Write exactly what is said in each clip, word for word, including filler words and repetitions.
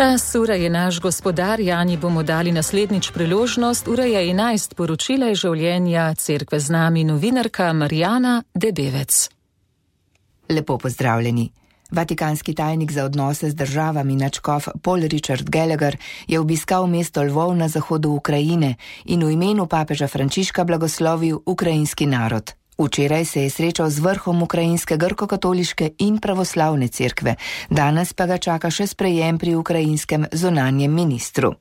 Čas, ura je naš gospodar, Jani bomo dali naslednjič priložnost. Ura je enajst, poročila je življenja cerkve z nami novinarka Marjana Debevec. Lepo pozdravljeni. Vatikanski tajnik za odnose z državami nadškof Paul Richard Gallagher je obiskal mesto Lvov na zahodu Ukrajine in v imenu papeža Frančiška blagoslovil ukrajinski narod. Včeraj se je srečal z vrhom ukrajinske grko-katoliške in pravoslavne cerkve, danes pa ga čaka še sprejem pri ukrajinskem zunanjem ministru.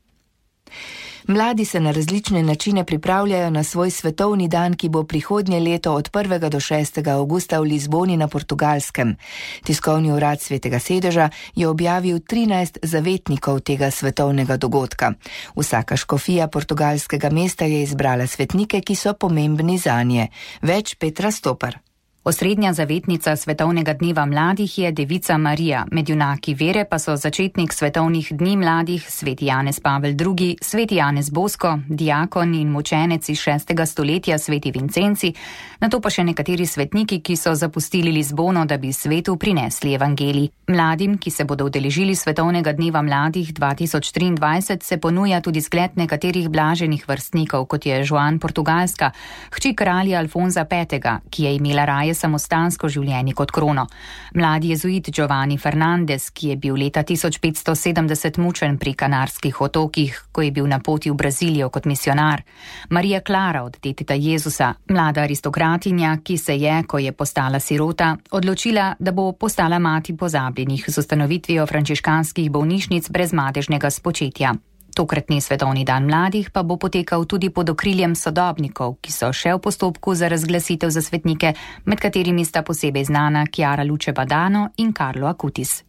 Mladi se na različne načine pripravljajo na svoj svetovni dan, ki bo prihodnje leto od prvega do šestega avgusta v Lizboni na Portugalskem. Tiskovni urad Svetega sedeža je objavil trinajst zavetnikov tega svetovnega dogodka. Vsaka škofija portugalskega mesta je izbrala svetnike, ki so pomembni zanje. Več Petra Stopar. Osrednja zavetnica Svetovnega dneva mladih je Devica Marija, med junaki vere pa so začetnik svetovnih dni mladih sveti Janez Pavel drugi, sveti Janez Bosko, diakon in mučenec iz šestega stoletja sveti Vincenci, nato pa še nekateri svetniki, ki so zapustili Lizbono, da bi svetu prinesli evangelij. Mladim, ki se bodo udeležili Svetovnega dneva mladih dva tisoč triindvajset, se ponuja tudi zgled nekaterih blaženih vrstnikov, kot je Joan Portugalska, hči kralja Alfonza petega, ki je imela raje samostansko življenje kot krono. Mladi jezuit Giovanni Fernandez, ki je bil leta tisoč petsto sedemdeset mučen pri Kanarskih otokih, ko je bil na poti v Brazilijo kot misionar. Marija Klara od deteta Jezusa, mlada aristokratinja, ki se je, ko je postala sirota, odločila, da bo postala mati pozabljenih z ustanovitvijo frančiškanskih bolnišnic brez madežnega spočetja. Tokratni svetovni dan mladih pa bo potekal tudi pod okriljem sodobnikov, ki so še v postopku za razglasitev za svetnike, med katerimi sta posebej znana Chiara Luce Badano in Carlo Acutis.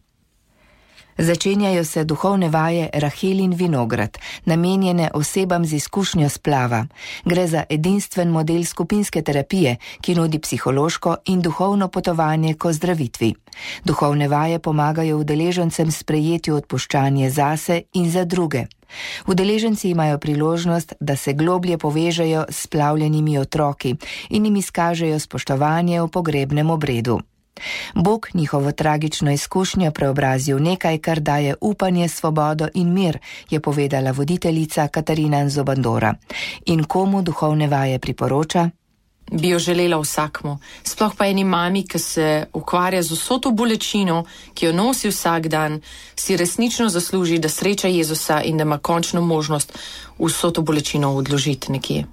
Začenjajo se duhovne vaje Rahelin vinograd, namenjene osebam z izkušnjo splava. Gre za edinstven model skupinske terapije, ki nudi psihološko in duhovno potovanje k ozdravitvi. Duhovne vaje pomagajo udeležencem sprejeti odpuščanje zase in za druge. Udeleženci imajo priložnost, da se globlje povežejo s splavljenimi otroki in jim izkažejo spoštovanje v pogrebnem obredu. Bog njihovo tragično izkušnjo preobrazi v nekaj, kar daje upanje, svobodo in mir, je povedala voditeljica Katarina Nzobandora. In komu duhovne vaje priporoča? Bi jo želela vsakmu, sploh pa eni mami, ki se ukvarja z vso to bolečino, ki jo nosi vsak dan, si resnično zasluži, da sreča Jezusa in da ima končno možnost vso to bolečino odložiti nekje.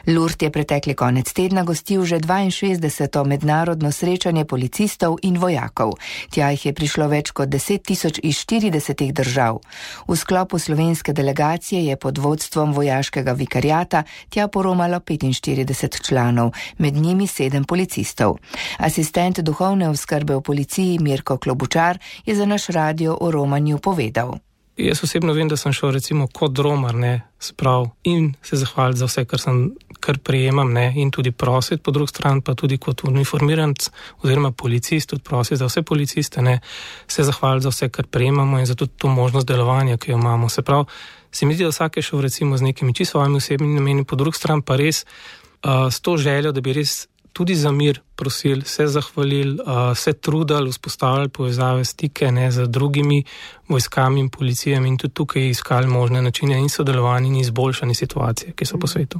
Lourdes je pretekli konec tedna gostil že dvainšestdeseto mednarodno srečanje policistov in vojakov. Tja jih je prišlo več kot deset tisoč iz štiridesetih držav. V sklopu slovenske delegacije je pod vodstvom vojaškega vikariata tja poromalo petinštirideset članov, med njimi sedem policistov. Asistent duhovne oskrbe v policiji Mirko Klobučar je za naš radio o romanju povedal. Jaz osebno vem, da sem šel recimo kot romar, ne, sprav in se zahvaliti za vse, kar sem, kar prejemam, ne, in tudi prositi, po drugi strani pa tudi kot uniformiranc oziroma policist, tudi prositi za vse policiste, ne, se zahvaliti za vse, kar prejemamo in za tudi to možnost delovanja, ki jo imamo. Se prav, se mi zdi, da vsak je šel recimo z nekimi čisto svojimi osebnimi nameni, po drugi strani pa res uh, s to željo, da bi res tudi za mir prosili, se zahvalili, uh, se trudili, vzpostavljali povezave, stike, ne, z drugimi vojskami in policijami in tudi tukaj iskali možne načine in sodelovanje in izboljšanje situacije, ki so po svetu.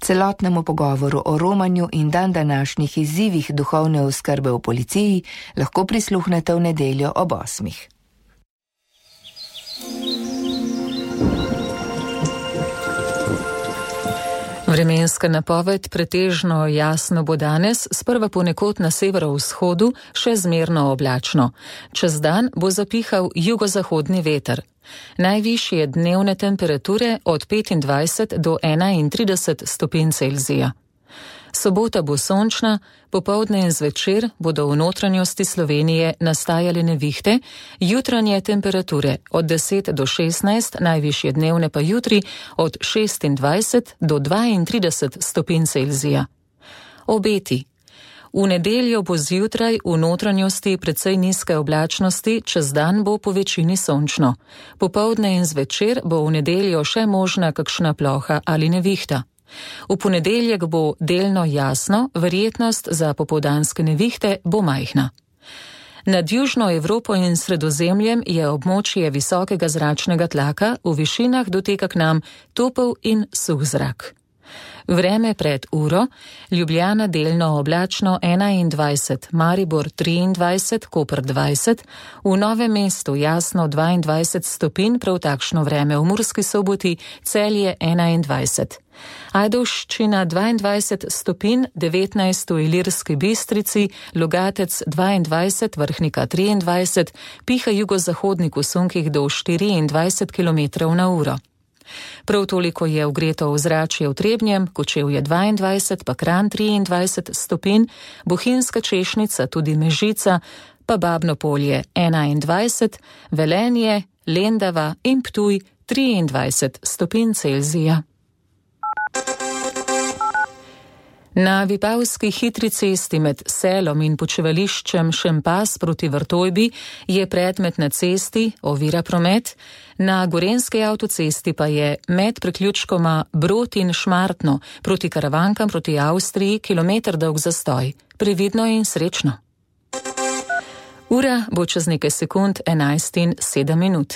Celotnemu pogovoru o romanju in dan današnjih izzivih duhovne oskrbe v policiji lahko prisluhnete v nedeljo ob osmih. Vremenska napoved pretežno jasno bo danes, sprva ponekod na severovzhodu še zmerno oblačno. Čez dan bo zapihal jugozahodni veter. Najvišje dnevne temperature od petindvajset do enaintrideset stopinj Celzija. Sobota bo sončna, popoldne in zvečer bodo v notranjosti Slovenije nastajale nevihte, jutranje temperature od deset do šestnajst, najvišje dnevne pa jutri od šestindvajset do dvaintrideset stopinj Celzija. Obeti. V nedeljo bo zjutraj v notranjosti precej nizke oblačnosti, čez dan bo po večini sončno. Popoldne in zvečer bo v nedeljo še možna kakšna ploha ali nevihta. V ponedeljek bo delno jasno, verjetnost za popoldanske nevihte bo majhna. Nad Južno Evropo in Sredozemljem je območje visokega zračnega tlaka, v višinah doteka k nam topel in suh zrak. Vreme pred uro: Ljubljana delno oblačno enaindvajset, Maribor triindvajset, Koper dvajset, v Novem mestu jasno dvaindvajset stopinj, prav takšno vreme v Murski Soboti, Celje enaindvajset. Ajdovščina dvaindvajset stopinj, devetnajst v Ilirski Bistrici, Logatec dvaindvajset, Vrhnika triindvajset, piha jugozahodnik v sunkih do štiriindvajset kilometrov na uro. Prav toliko je ogreto ozračje v Trebnjem, Kočevje dvaindvajset, pa Kranj triindvajset stopinj, Bohinjska Češnica, tudi Mežica, pa Babno Polje enaindvajset, Velenje, Lendava in Ptuj triindvajset stopinj Celzija. Na Vipavski hitri cesti med Selom in počivališčem Šempas proti Vrtojbi je predmet na cesti, ovira promet, na Gorenski avtocesti pa je med priključkoma Brod in Šmartno proti Karavankam proti Avstriji kilometer dolg zastoj. Previdno in srečno. Ura bo čez nekaj sekund enajst in sedem minut.